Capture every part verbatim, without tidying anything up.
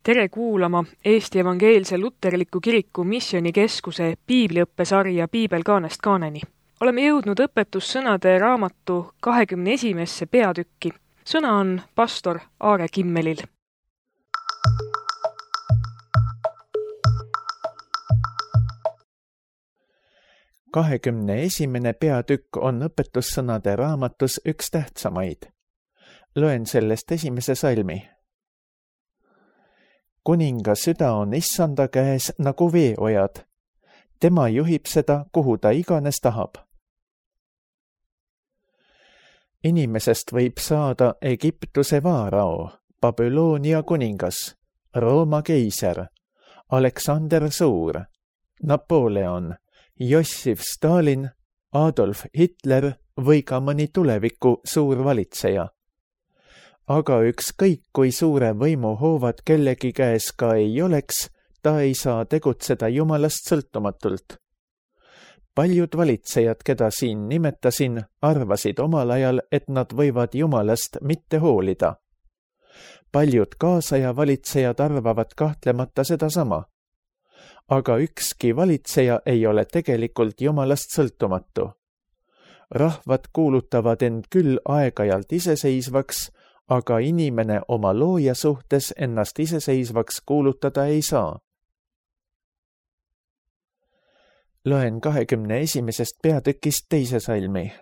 Tere kuulama Eesti Evangeelse Luterliku Kiriku Missioonikeskuse piibliõppesarja Piibel kaanest kaaneni. Oleme jõudnud õpetussõnade raamatu kahekümne esimesse peatükki. Sõna on pastor Aare Kimmelil. kahekümne esimene peatükk on õpetussõnade raamatus üks tähtsamaid. Loen sellest esimese salmi. Kuninga süda on issanda käes nagu veeojad. Tema juhib seda, kuhu ta iganes tahab. Inimesest võib saada Egiptuse vaarao, Babyloonia kuningas, Rooma keiser, Aleksander Suur, Napoleon, Jossif Stalin, Adolf Hitler või ka mõni tuleviku suur valitseja. Aga ükskõik kui suure võimu hoovad kellegi käes ka ei oleks, ta ei saa tegutseda Jumalast sõltumatult. Paljud valitsejad, keda siin nimetasin, arvasid omal ajal, et nad võivad Jumalast mitte hoolida. Paljud kaasaja valitsejad arvavad kahtlemata sedasama. Aga ükski valitseja ei ole tegelikult Jumalast sõltumatu. Rahvad kuulutavad end küll aeg-ajalt iseseisvaks, aga inimene oma looja suhtes ennast iseseisvaks kuulutada ei saa. Loen kahekümne esimesest peatükist teise salmi.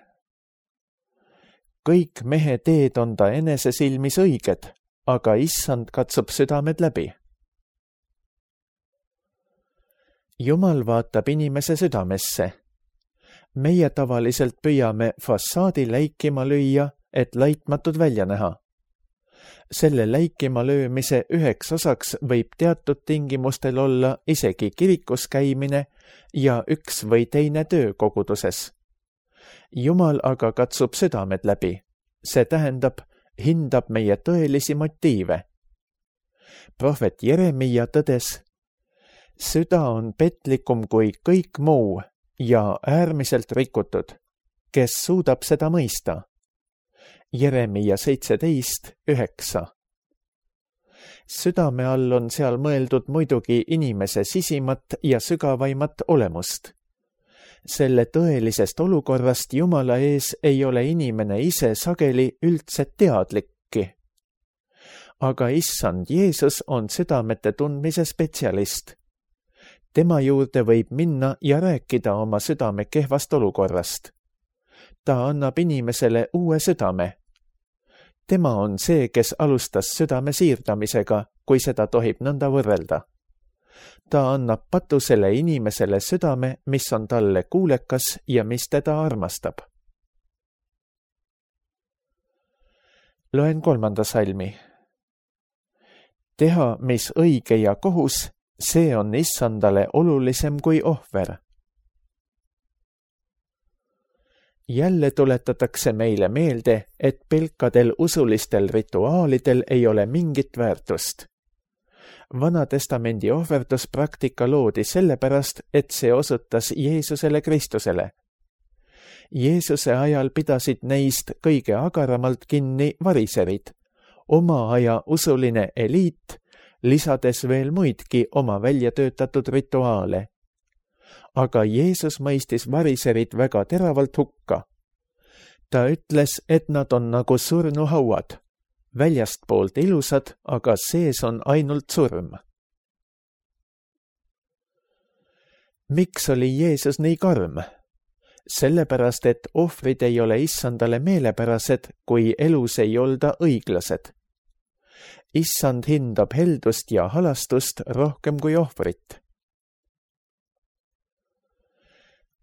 Kõik mehe teed on ta enese silmis õiged, aga issand katsub südamed läbi. Jumal vaatab inimese südamesse. Meie tavaliselt püüame fassaadi läikima lüüa, et laitmatud välja näha. Selle läikima löömise üheks osaks võib teatud tingimustel olla isegi kirikus käimine ja üks või teine töö koguduses. Jumal aga katsub südamed läbi. See tähendab, hindab meie tõelisi motiive. Prohvet Jeremia tõdes, süda on petlikum kui kõik muu ja äärmiselt rikutud. Kes suudab seda mõista? Jeremia seitseteist üheksa. Südame all on seal mõeldud muidugi inimese sisimat ja sügavaimat olemust. Selle tõelisest olukorrast Jumala ees ei ole inimene ise sageli üldse teadlikki. Aga issand Jeesus on südamete tundmise spetsialist. Tema juurde võib minna ja rääkida oma südame kehvast olukorrast. Ta annab inimesele uue südame. Tema on see, kes alustas südame siirdamisega, kui seda tohib nõnda võrrelda. Ta annab patusele inimesele südame, mis on talle kuulekas ja mis teda armastab. Loen kolmanda salmi. Teha, mis õige ja kohus, see on issandale olulisem kui ohver. Jälle tuletatakse meile meelde, et pelkadel usulistel rituaalidel ei ole mingit väärtust. Vanatestamendi ohverduspraktika loodi sellepärast, et see osutas Jeesusele Kristusele. Jeesuse ajal pidasid neist kõige agaramalt kinni variserid, oma aja usuline eliit, lisades veel muidki oma väljatöötatud rituaale. Aga Jeesus mõistis variserid väga teravalt hukka. Ta ütles, et nad on nagu surnuhauad, väljastpoolt ilusad, aga sees on ainult surm. Miks oli Jeesus nii karm? Sellepärast, et ohvrid ei ole issandale meelepärased, kui elus ei olda õiglased. Issand hindab heldust ja halastust rohkem kui ohvrit.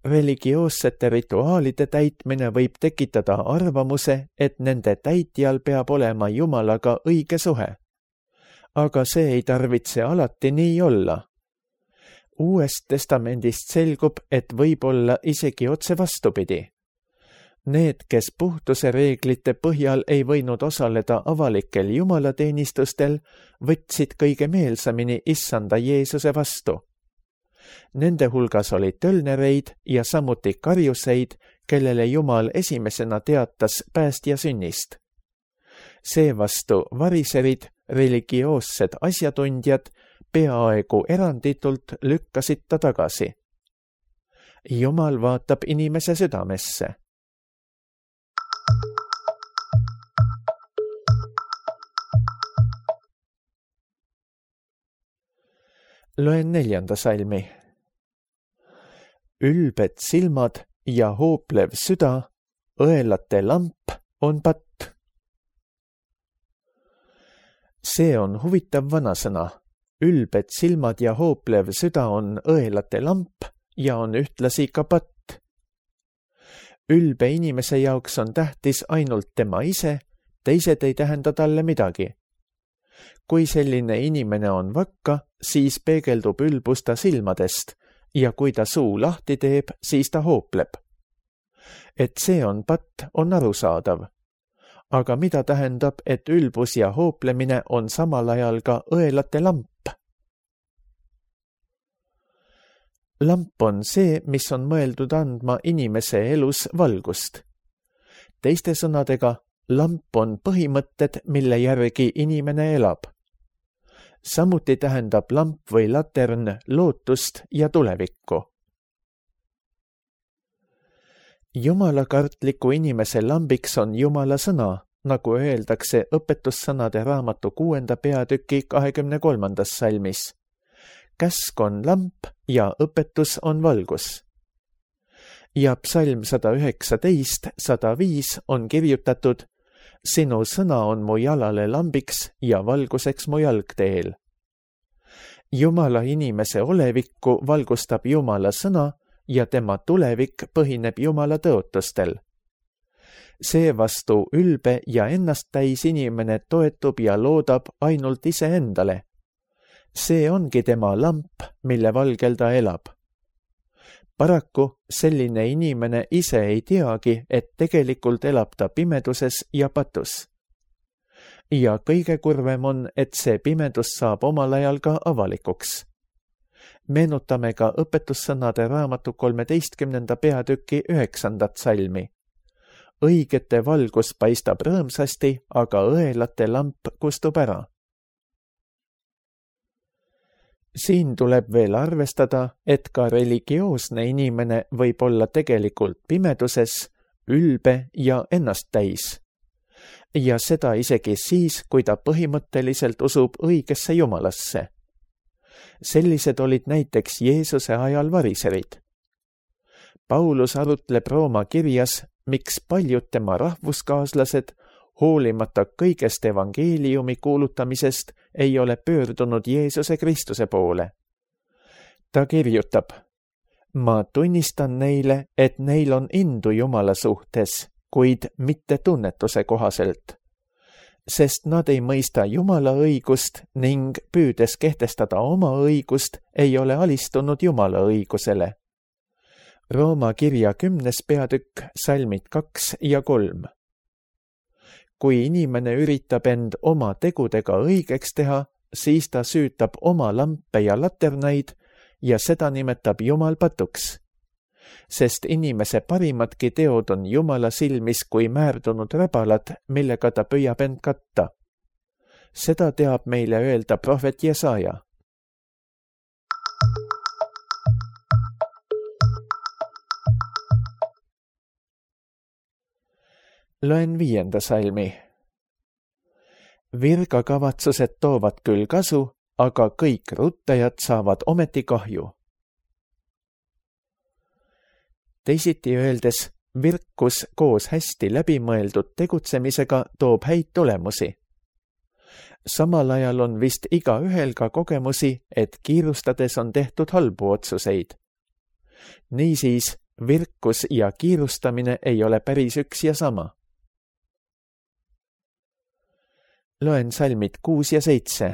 Religioossete rituaalide täitmine võib tekitada arvamuse, et nende täitjal peab olema Jumalaga õige suhe. Aga see ei tarvitse alati nii olla. Uuest testamendist selgub, et võib olla isegi otse vastupidi. Need, kes puhtuse reeglite põhjal ei võinud osaleda avalikel jumalateenistustel, võtsid kõige meelsamini issanda Jeesuse vastu. Nende hulgas oli tölnereid ja samuti karjuseid, kellele Jumal esimesena teatas päästja sünnist. Seevastu variserid religioossed asjatundjad peaaegu eranditult lükkasid ta tagasi. Jumal vaatab inimese südamesse. Loen neljanda salmi. Ülbed silmad ja hooplev süda, õelate lamp on patt. See on huvitav vanasõna. Ülbed silmad ja hooplev süda on õelate lamp ja on ühtlasi ka patt. Ülbe inimese jaoks on tähtis ainult tema ise, teised ei tähenda talle midagi. Kui selline inimene on vakka, siis peegeldub ülbus ta silmadest ja kui ta suu lahti teeb, siis ta hoopleb. Et see on patt, on arusaadav. Aga mida tähendab, et ülbus ja hooplemine on samal ajal ka õelate lamp? Lamp on see, mis on mõeldud andma inimese elus valgust. Teiste sõnadega, lamp on põhimõtted, mille järgi inimene elab. Samuti tähendab lamp või latern lootust ja tulevikku. Jumalakartliku inimese lambiks on Jumala sõna, nagu öeldakse õpetussõnade raamatu kuuenda peatüki kahekümne kolmandas salmis. Käsk on lamp ja õpetus on valgus. Ja psalm sada üheksateist sada viis on kirjutatud: Sinu sõna on mu jalale lambiks ja valguseks mu jalgteel. Jumala inimese olevikku valgustab Jumala sõna ja tema tulevik põhineb Jumala tõotustel. Seevastu ülbe ja ennast täis inimene toetub ja loodab ainult iseendale. See ongi tema lamp, mille valgel ta elab. Paraku selline inimene ise ei teagi, et tegelikult elab ta pimeduses ja patus. Ja kõige kurvem on, et see pimedus saab omal ajal ka avalikuks. Meenutame ka õpetussõnade raamatu kolmeteistkümnenda peatüki üheksandat salmi. Õigete valgus paistab rõõmsasti, aga õelate lamp kustub ära. Siin tuleb veel arvestada, et ka religioosne inimene võib olla tegelikult pimeduses, ülbe ja ennast täis. Ja seda isegi siis, kui ta põhimõtteliselt usub õigesse Jumalasse. Sellised olid näiteks Jeesuse ajal variserid. Paulus arutleb Rooma kirjas, miks paljud tema rahvuskaaslased hoolimata kõigest evangeeliumi kuulutamisest ei ole pöördunud Jeesuse Kristuse poole. Ta kirjutab: Ma tunnistan neile, et neil on indu Jumala suhtes, kuid mitte tunnetuse kohaselt, sest nad ei mõista Jumala õigust ning püüdes kehtestada oma õigust, ei ole alistunud Jumala õigusele. Rooma kirja kümnes peatükk, salmid kaks ja kolm. Kui inimene üritab end oma tegudega õigeks teha, siis ta süütab oma lampe ja laternaid ja seda nimetab Jumal patuks. Sest inimese parimadki teod on Jumala silmis kui määrdunud räbalad, millega ta püüab end katta. Seda teab meile öelda prohvet Jesaja. Loen viienda salmi. Virkakavatsused toovad küll kasu, aga kõik ruttajad saavad ometi kahju. Teisiti öeldes, virkus koos hästi läbimõeldud tegutsemisega toob häid tulemusi. Samal ajal on vist igaühel ka kogemusi, et kiirustades on tehtud halbu otsuseid. Niisiis, virkus ja kiirustamine ei ole päris üks ja sama. Loen salmid kuus ja seitse.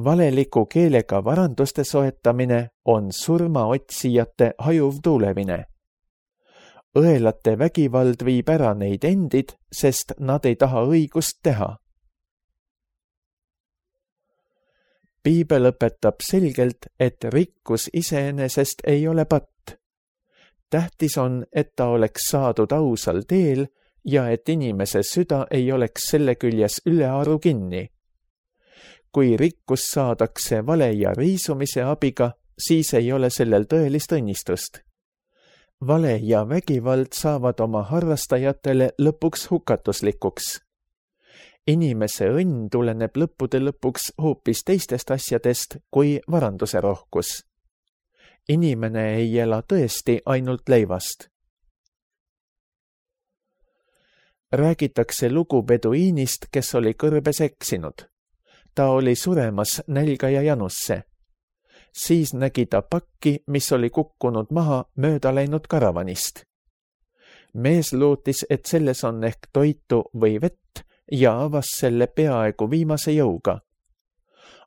Valeliku keelega varanduste soetamine on surmaotsijate hajuv tuulevine. Õelate vägivald viib ära neid endid, sest nad ei taha õigust teha. Piibel õpetab selgelt, et rikkus iseenesest ei ole patt. Tähtis on, et ta oleks saadud ausal teel ja et inimese süda ei oleks selle küljes ülearu kinni. Kui rikkus saadakse vale ja riisumise abiga, siis ei ole sellel tõelist õnnistust. Vale ja vägivald saavad oma harrastajatele lõpuks hukatuslikuks. Inimese õnn tuleneb lõppude lõpuks hoopis teistest asjadest kui varanduse rohkus. Inimene ei ela tõesti ainult leivast. Räägitakse lugu peduiinist, kes oli kõrbes eksinud. Ta oli suremas nälga ja janusse. Siis nägi ta pakki, mis oli kukkunud maha mööda läinud karavanist. Mees lootis, et selles on ehk toitu või vett ja avas selle peaaegu viimase jõuga.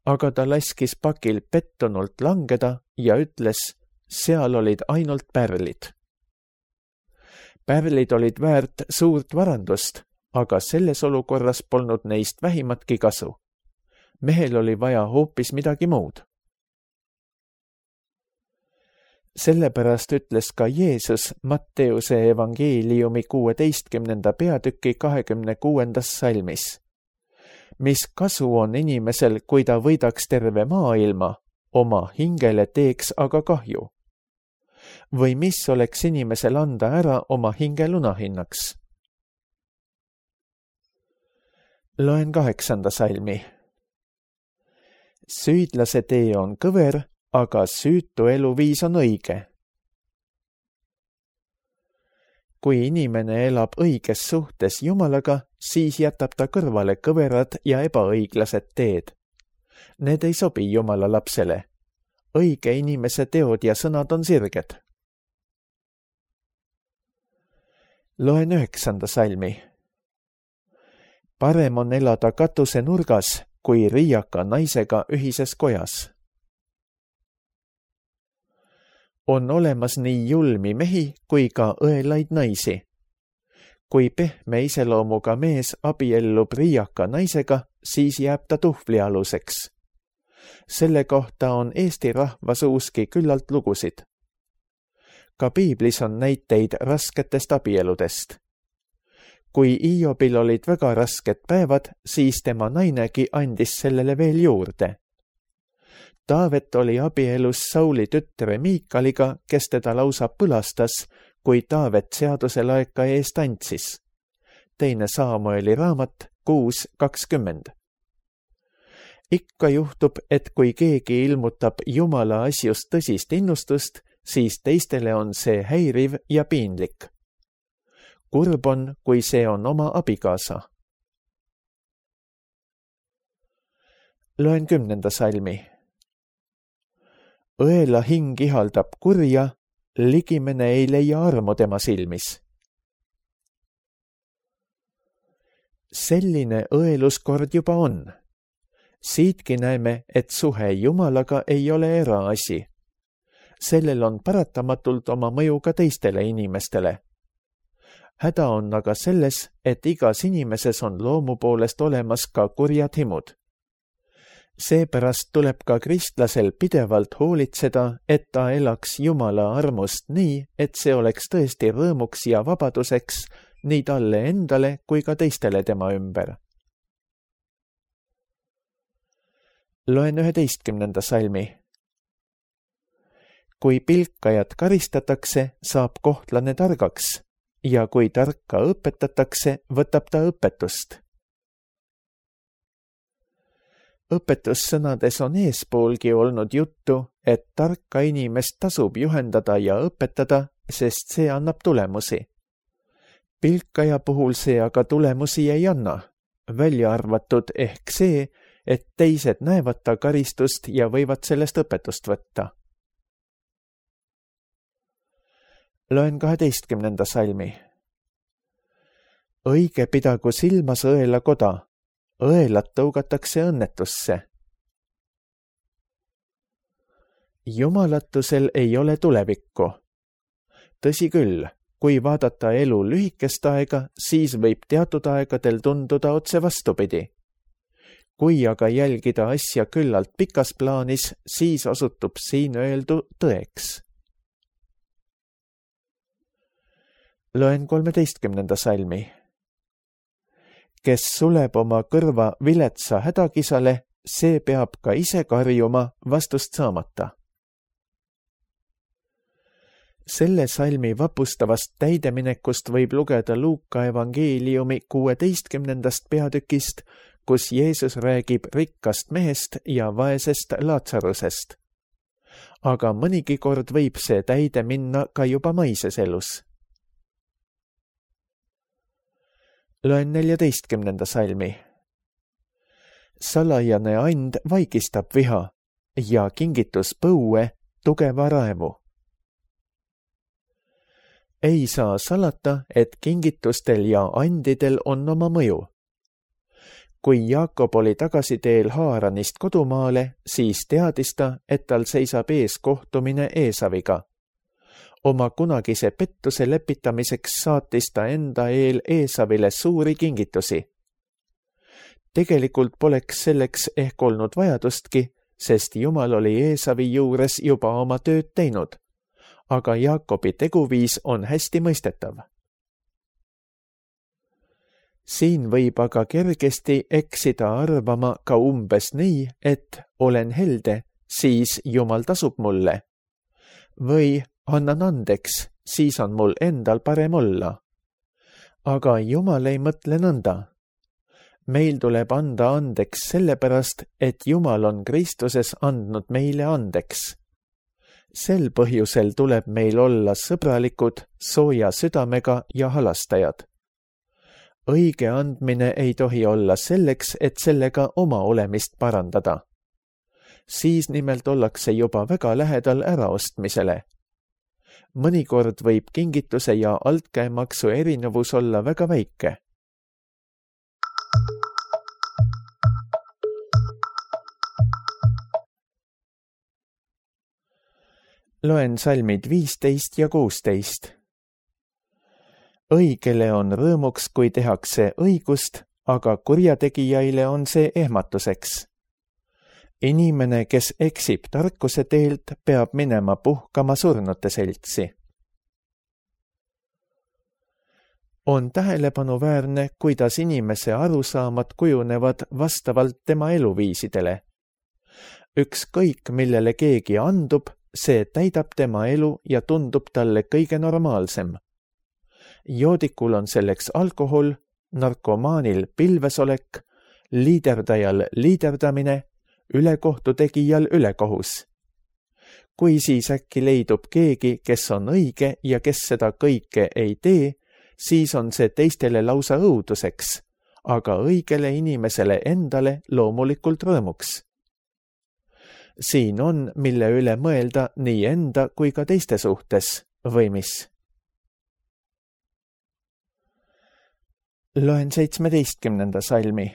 Aga ta laskis pakil pettunult langeda ja ütles, seal olid ainult pärlid. Pärlid olid väärt suurt varandust, aga selles olukorras polnud neist vähimatki kasu. Mehel oli vaja hoopis midagi muud. Sellepärast ütles ka Jeesus Matteuse evangeeliumi kuueteistkümnenda peatüki kahekümne kuuendas salmis. Mis kasu on inimesel, kui ta võidaks terve maailma, oma hingele teeks aga kahju? Või mis oleks inimesel anda ära oma hinge lunahinnaks? Loen kaheksanda salmi. Süüdlase tee on kõver, aga süütu eluviis on õige. Kui inimene elab õiges suhtes Jumalaga, siis jätab ta kõrvale kõverad ja ebaõiglased teed. Need ei sobi Jumala lapsele. Õige inimese teod ja sõnad on sirged. Loen üheksanda salmi. Parem on elada katuse nurgas, kui riiaka naisega ühises kojas. On olemas nii julmi mehi kui ka õelaid naisi. Kui pehme iseloomuga mees abiellub riiaka naisega, siis jääb ta tuhvli aluseks. Selle kohta on Eesti rahva suuski küllalt lugusid. Ka piiblis on näiteid rasketest abieludest. Kui Iobil olid väga rasked päevad, siis tema nainegi andis sellele veel juurde. Taavet oli abielus Sauli tütre Miikaliga, kes teda lausa põlastas, kui Taavet seaduse laeka eest andsis. Teine Saamueli raamat kuus kakskümmend. Ikka juhtub, et kui keegi ilmutab Jumala asjust tõsist innustust, siis teistele on see häiriv ja piinlik. Kurb on, kui see on oma abikaasa. Loen kümnenda salmi. Õela hing ihaldab kurja, ligimene ei leia armu tema silmis. Selline õeluskord juba on. Siitki näeme, et suhe Jumalaga ei ole eraasi. Sellel on paratamatult oma mõju ka teistele inimestele. Häda on aga selles, et igas inimeses on loomu poolest olemas ka kurjad himud. Seepärast tuleb ka kristlasel pidevalt hoolitseda, et ta elaks Jumala armust nii, et see oleks tõesti rõõmuks ja vabaduseks nii talle endale kui ka teistele tema ümber. Loen üheteistkümnenda salmi. Kui pilkajat karistatakse, saab kohtlane targaks ja kui tarka õpetatakse, võtab ta õpetust. Õpetussõnades on eespoolgi olnud juttu, et tarka inimest tasub juhendada ja õpetada, sest see annab tulemusi. Pilkaja puhul see aga tulemusi ei anna, välja arvatud ehk see, et teised näevad ta karistust ja võivad sellest õpetust võtta. Loen kaheteistkümnenda salmi. Õige pidagu silmas õela koda, õelat tõugatakse õnnetusse. Jumalatusel ei ole tulevikku. Tõsi küll, kui vaadata elu lühikest aega, siis võib teatud aegadel tunduda otse vastupidi. Kui aga jälgida asja küllalt pikas plaanis, siis osutub siin öeldu tõeks. Loen kolmeteistkümnenda salmi. kes suleb oma kõrva viletsa hädakisale, see peab ka ise karjuma vastust saamata. Selle salmi vapustavast täideminekust võib lugeda Luuka evangeeliumi kuueteistkümnendast peatükist, kus Jeesus räägib rikkast mehest ja vaesest Laatsarusest. Aga mõnigi kord võib see täide minna ka juba maises elus. Loen neljateistkümnenda salmi. Salajane and vaigistab viha ja kingitus põue tugeva raevu. Ei saa salata, et kingitustel ja andidel on oma mõju. Kui Jaakob oli tagasiteel Haaranist kodumaale, siis teadis ta, et tal seisab ees kohtumine Eesaviga. Oma kunagise pettuse lepitamiseks saatis ta enda eel Eesavile suuri kingitusi. Tegelikult poleks selleks ehk olnud vajadustki, sest Jumal oli Eesavi juures juba oma tööd teinud. Aga Jaakobi teguviis on hästi mõistetav. Siin võib aga kergesti eksida arvama ka umbes nii, et olen helde, siis Jumal tasub mulle. Või annan andeks, siis on mul endal parem olla. Aga Jumal ei mõtle nõnda. Meil tuleb anda andeks sellepärast, et Jumal on Kristuses andnud meile andeks. Sel põhjusel tuleb meil olla sõbralikud, sooja südamega ja halastajad. Õige andmine ei tohi olla selleks, et sellega oma olemist parandada. Siis nimelt ollakse juba väga lähedal äraostmisele. Mõnikord võib kingituse ja altkäemaksu erinevus olla väga väike. Loen salmid viisteist ja kuusteist. Õigele on rõõmuks, kui tehakse õigust, aga kurjategijaile on see ehmatuseks. Inimene, kes eksib tarkuse teelt, peab minema puhkama surnute seltsi. On tähelepanuväärne, kuidas inimese arusaamad kujunevad vastavalt tema eluviisidele. Ükskõik, millele keegi andub, see täidab tema elu ja tundub talle kõige normaalsem. Joodikul on selleks alkohol, narkomaanil pilvesolek, liiderdajal liiderdamine, ülekohtutegijal ülekohus. Kui siis äkki leidub keegi, kes on õige ja kes seda kõike ei tee, siis on see teistele lausa õuduseks, aga õigele inimesele endale loomulikult rõõmuks. Siin on, mille üle mõelda nii enda kui ka teiste suhtes, või mis? Loen seitsmeteistkümnenda salmi.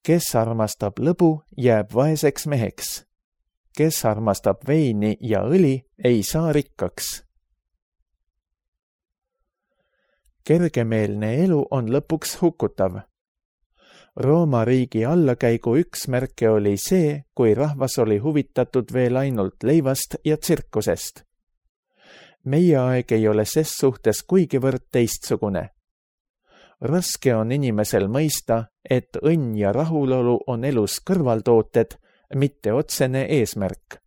Kes armastab lõbu, jääb vaeseks meheks. Kes armastab veini ja õli, ei saa rikkaks. Kergemeelne elu on lõpuks hukutav. Rooma riigi allakäigu üks märke oli see, kui rahvas oli huvitatud veel ainult leivast ja tsirkusest. Meie aeg ei ole ses suhtes kuigivõrd teistsugune. Raske on inimesel mõista, et õnn ja rahulolu on elus kõrvaltooted, mitte otsene eesmärk.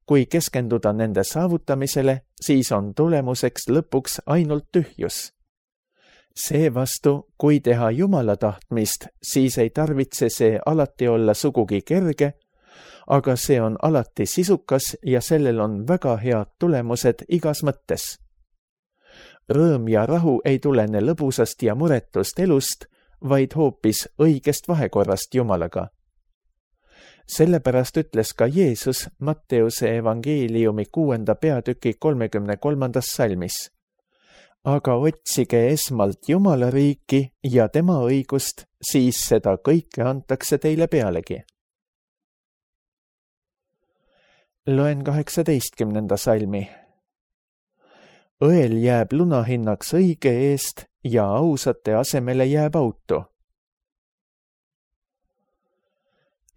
Kui keskenduda nende saavutamisele, siis on tulemuseks lõpuks ainult tühjus. Seevastu, kui teha Jumala tahtmist, siis ei tarvitse see alati olla sugugi kerge, aga see on alati sisukas ja sellel on väga head tulemused igas mõttes. Rõõm ja rahu ei tulene lõbusast ja muretust elust, vaid hoopis õigest vahekorrast Jumalaga. Sellepärast ütles ka Jeesus Matteuse evangeeliumi kuuenda peatüki kolmekümne kolmandas salmis. Aga otsige esmalt Jumala riiki ja tema õigust, siis seda kõike antakse teile pealegi. Loen kaheksateistkümnenda salmi. Õel jääb lunahinnaks õige eest ja ausate asemele jääb auto.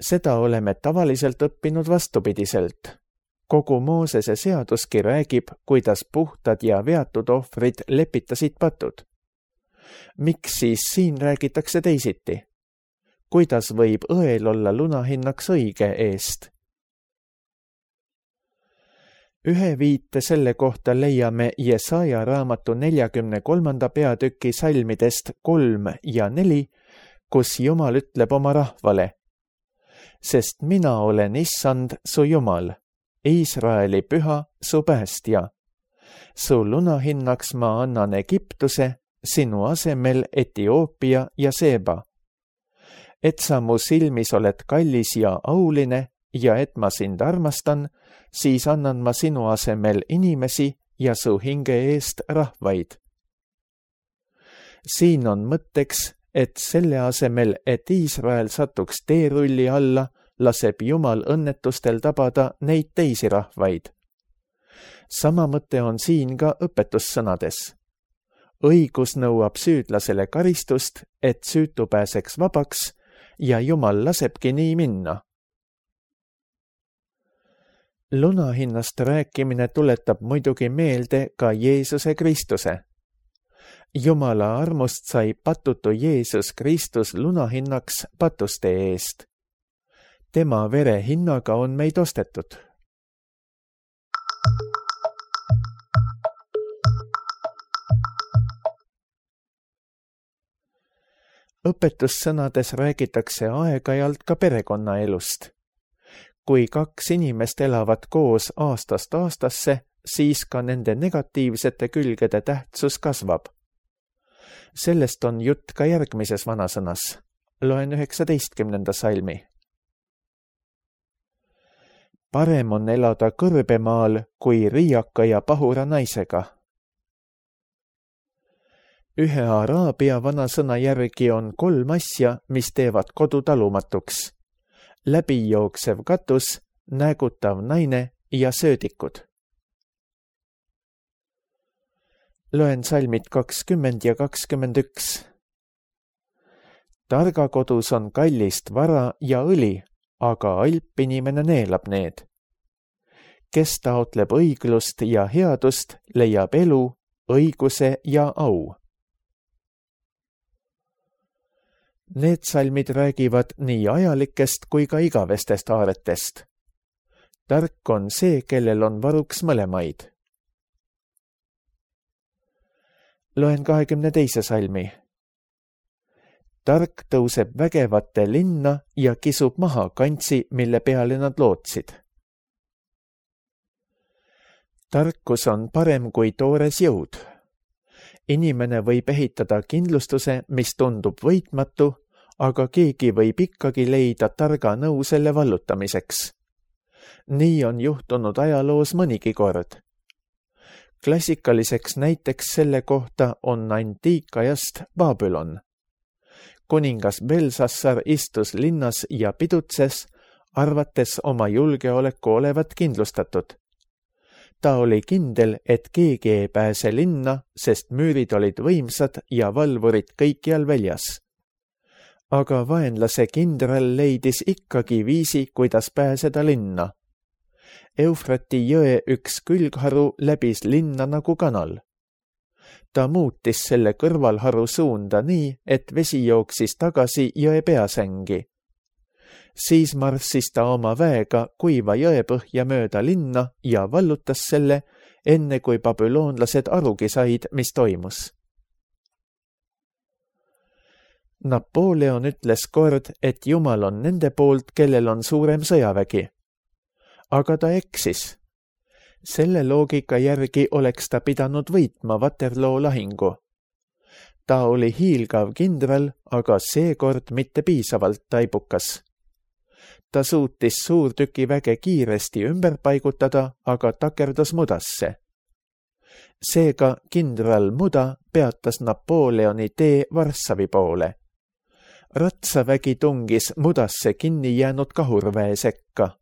Seda oleme tavaliselt õppinud vastupidiselt. Kogu Moosese seaduski räägib, kuidas puhtad ja veatud ohvrid lepitasid patud. Miks siis siin räägitakse teisiti? Kuidas võib õel olla lunahinnaks õige eest? Ühe viite selle kohta leiame Jesaja raamatu neljakümne kolmanda peatüki salmidest kolm ja neli, kus Jumal ütleb oma rahvale: sest mina olen Issand, su Jumal, Iisraeli püha, su päästja. Su lunahinnaks ma annan Egiptuse, sinu asemel Etioopia ja Seeba. Et sa mu silmis oled kallis ja auline ja et ma sind armastan, siis annan ma sinu asemel inimesi ja su hinge eest rahvaid. Siin on mõtteks, et selle asemel, et Iisrael satuks teerulli alla, laseb Jumal õnnetustel tabada neid teisi rahvaid. Sama mõte on siin ka õpetussõnades. Õigus nõuab süüdlasele karistust, et süütu pääseks vabaks, ja Jumal lasebki nii minna. Lunahinnast rääkimine tuletab muidugi meelde ka Jeesuse Kristuse. Jumala armust sai patutu Jeesus Kristus lunahinnaks patuste eest. Tema vere hinnaga on meid ostetud. Õpetussõnades räägitakse aeg-ajalt ka perekonnaelust. Kui kaks inimest elavad koos aastast aastasse, siis ka nende negatiivsete külgede tähtsus kasvab. Sellest on jutt ka järgmises vanasõnas. Loen üheksateistkümnenda salmi. Parem on elada kõrbemaal kui riiaka ja pahura naisega. Ühe araabia vanasõna järgi on kolm asja, mis teevad kodu talumatuks. Läbijooksev katus, näägutav naine ja söödikud. Loen salmid kakskümmend ja kakskümmend üks. Targa kodus on kallist vara ja õli, aga alp inimene neelab need. Kes taotleb õiglust ja headust, leiab elu, õiguse ja au. Need salmid räägivad nii ajalikest kui ka igavestest aaretest. Tark on see, kellel on varuks mõlemaid. Loen kahekümne teise salmi. Tark tõuseb vägevate linna ja kisub maha kantsi, mille peale nad lootsid. Tarkus on parem kui toores jõud. Inimene võib ehitada kindlustuse, mis tundub võitmatu, aga keegi võib ikkagi leida targa nõu selle vallutamiseks. Nii on juhtunud ajaloos mõnigi kord. Klassikaliseks näiteks selle kohta on antiikajast Babylon. Kuningas Belsassar istus linnas ja pidutses, arvates oma julgeoleku olevat kindlustatud. Ta oli kindel, et keegi ei pääse linna, sest müürid olid võimsad ja valvurid kõikjal väljas. Aga vaenlase kindral leidis ikkagi viisi, kuidas pääseda linna. Eufrati jõe üks külgharu läbis linna nagu kanal. Ta muutis selle kõrvalharu suunda nii, et vesi jooksis tagasi jõe peasängi. Siis marssis ta oma väega kuiva jõepõhja mööda linna ja vallutas selle, enne kui babüloonlased arugi said, mis toimus. Napoleon ütles kord, et Jumal on nende poolt, kellel on suurem sõjavägi. Aga ta eksis. Selle loogika järgi oleks ta pidanud võitma Waterloo lahingu. Ta oli hiilgav kindral, aga seekord mitte piisavalt taibukas. Ta suutis suurtükiväge kiiresti ümber paigutada, aga takerdus mudasse. Seega kindral Muda peatas Napoleoni tee Varssavi poole. Ratsavägi tungis mudasse kinni jäänud kahurväe sekka.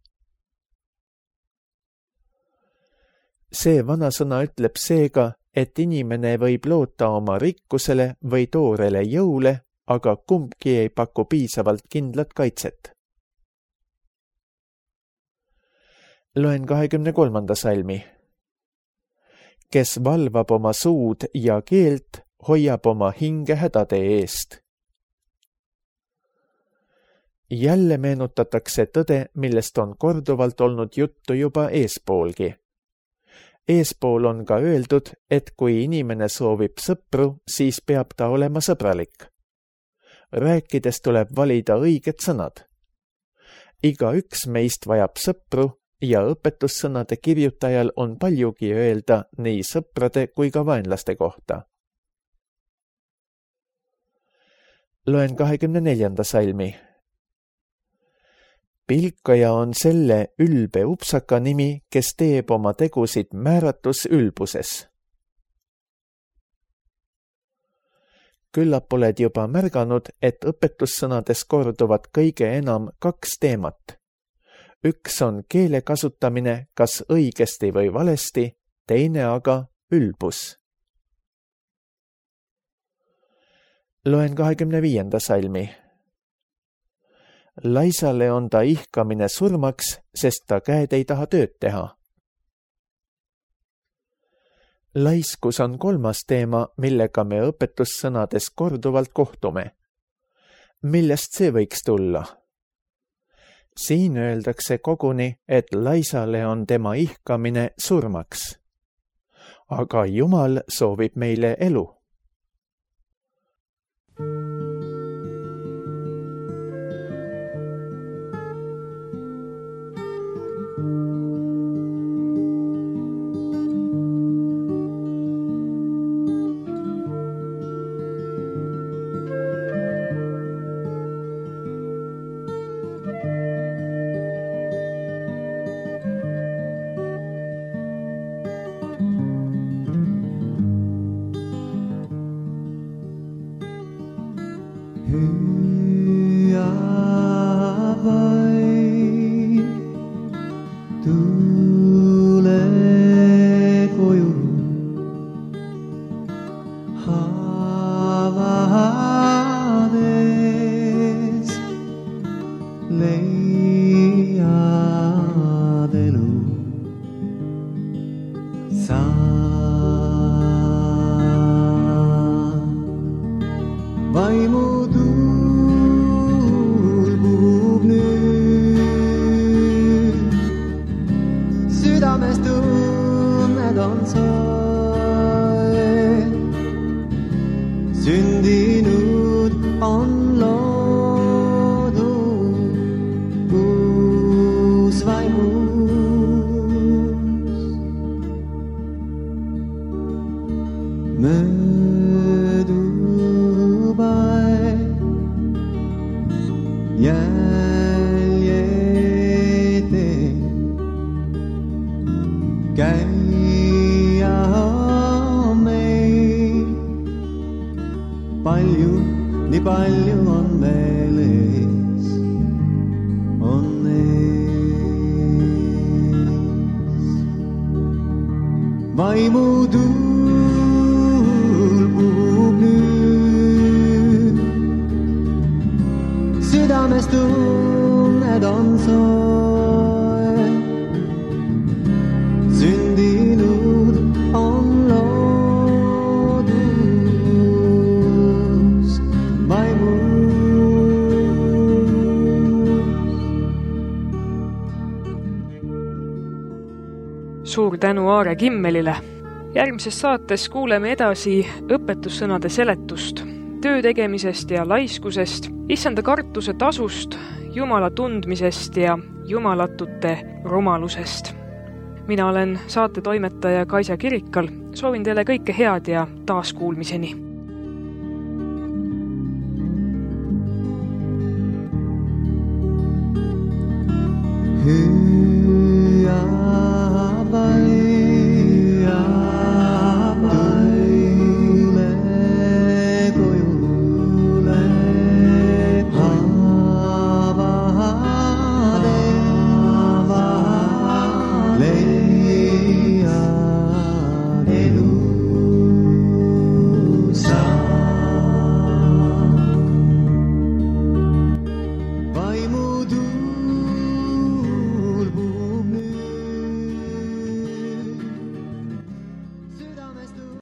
See vanasõna ütleb seega, et inimene võib loota oma rikkusele või toorele jõule, aga kumbki ei paku piisavalt kindlat kaitset. Loen kahekümne kolmanda salmi. Kes valvab oma suud ja keelt, hoiab oma hinge hädade eest. Jälle meenutatakse tõde, millest on korduvalt olnud juttu juba eespoolgi. Eespool on ka öeldud, et kui inimene soovib sõpru, siis peab ta olema sõbralik. Rääkides tuleb valida õiged sõnad. Iga üks meist vajab sõpru ja õpetussõnade kirjutajal on paljugi öelda nii sõprade kui ka vaenlaste kohta. Loen kahekümne neljanda salmi. Pilkaja on selle ülbe upsaka nimi, kes teeb oma tegusid määratus ülbuses. Küllap oled juba märganud, et õpetussõnades korduvad kõige enam kaks teemat. Üks on keele kasutamine kas õigesti või valesti, teine aga ülbus. Loen kahekümne viienda salmi. Laisale on ta ihkamine surmaks, sest ta käed ei taha tööd teha. Laiskus on kolmas teema, millega me õpetussõnades korduvalt kohtume. Millest see võiks tulla? Siin öeldakse koguni, et laisale on tema ihkamine surmaks. Aga Jumal soovib meile elu. Sündinud on loodud uus vaimus. Möödub aeg, jäljete, käia on meil. Palju, nii palju on veel ees, on ees. Vaimu tuul puhub nüüd, südames tunned on soe, sündinud on loodus vaimus. Suur tänu Aare Kimmelile. Järgmises saates kuuleme edasi õpetussõnade seletust, töö tegemisest ja laiskusest, issanda kartuse tasust, Jumala tundmisest ja jumalatute rumalusest. Mina olen saatetoimetaja Kaisa Kirikal. Soovin teile kõike head ja taaskuulmiseni. Hüüd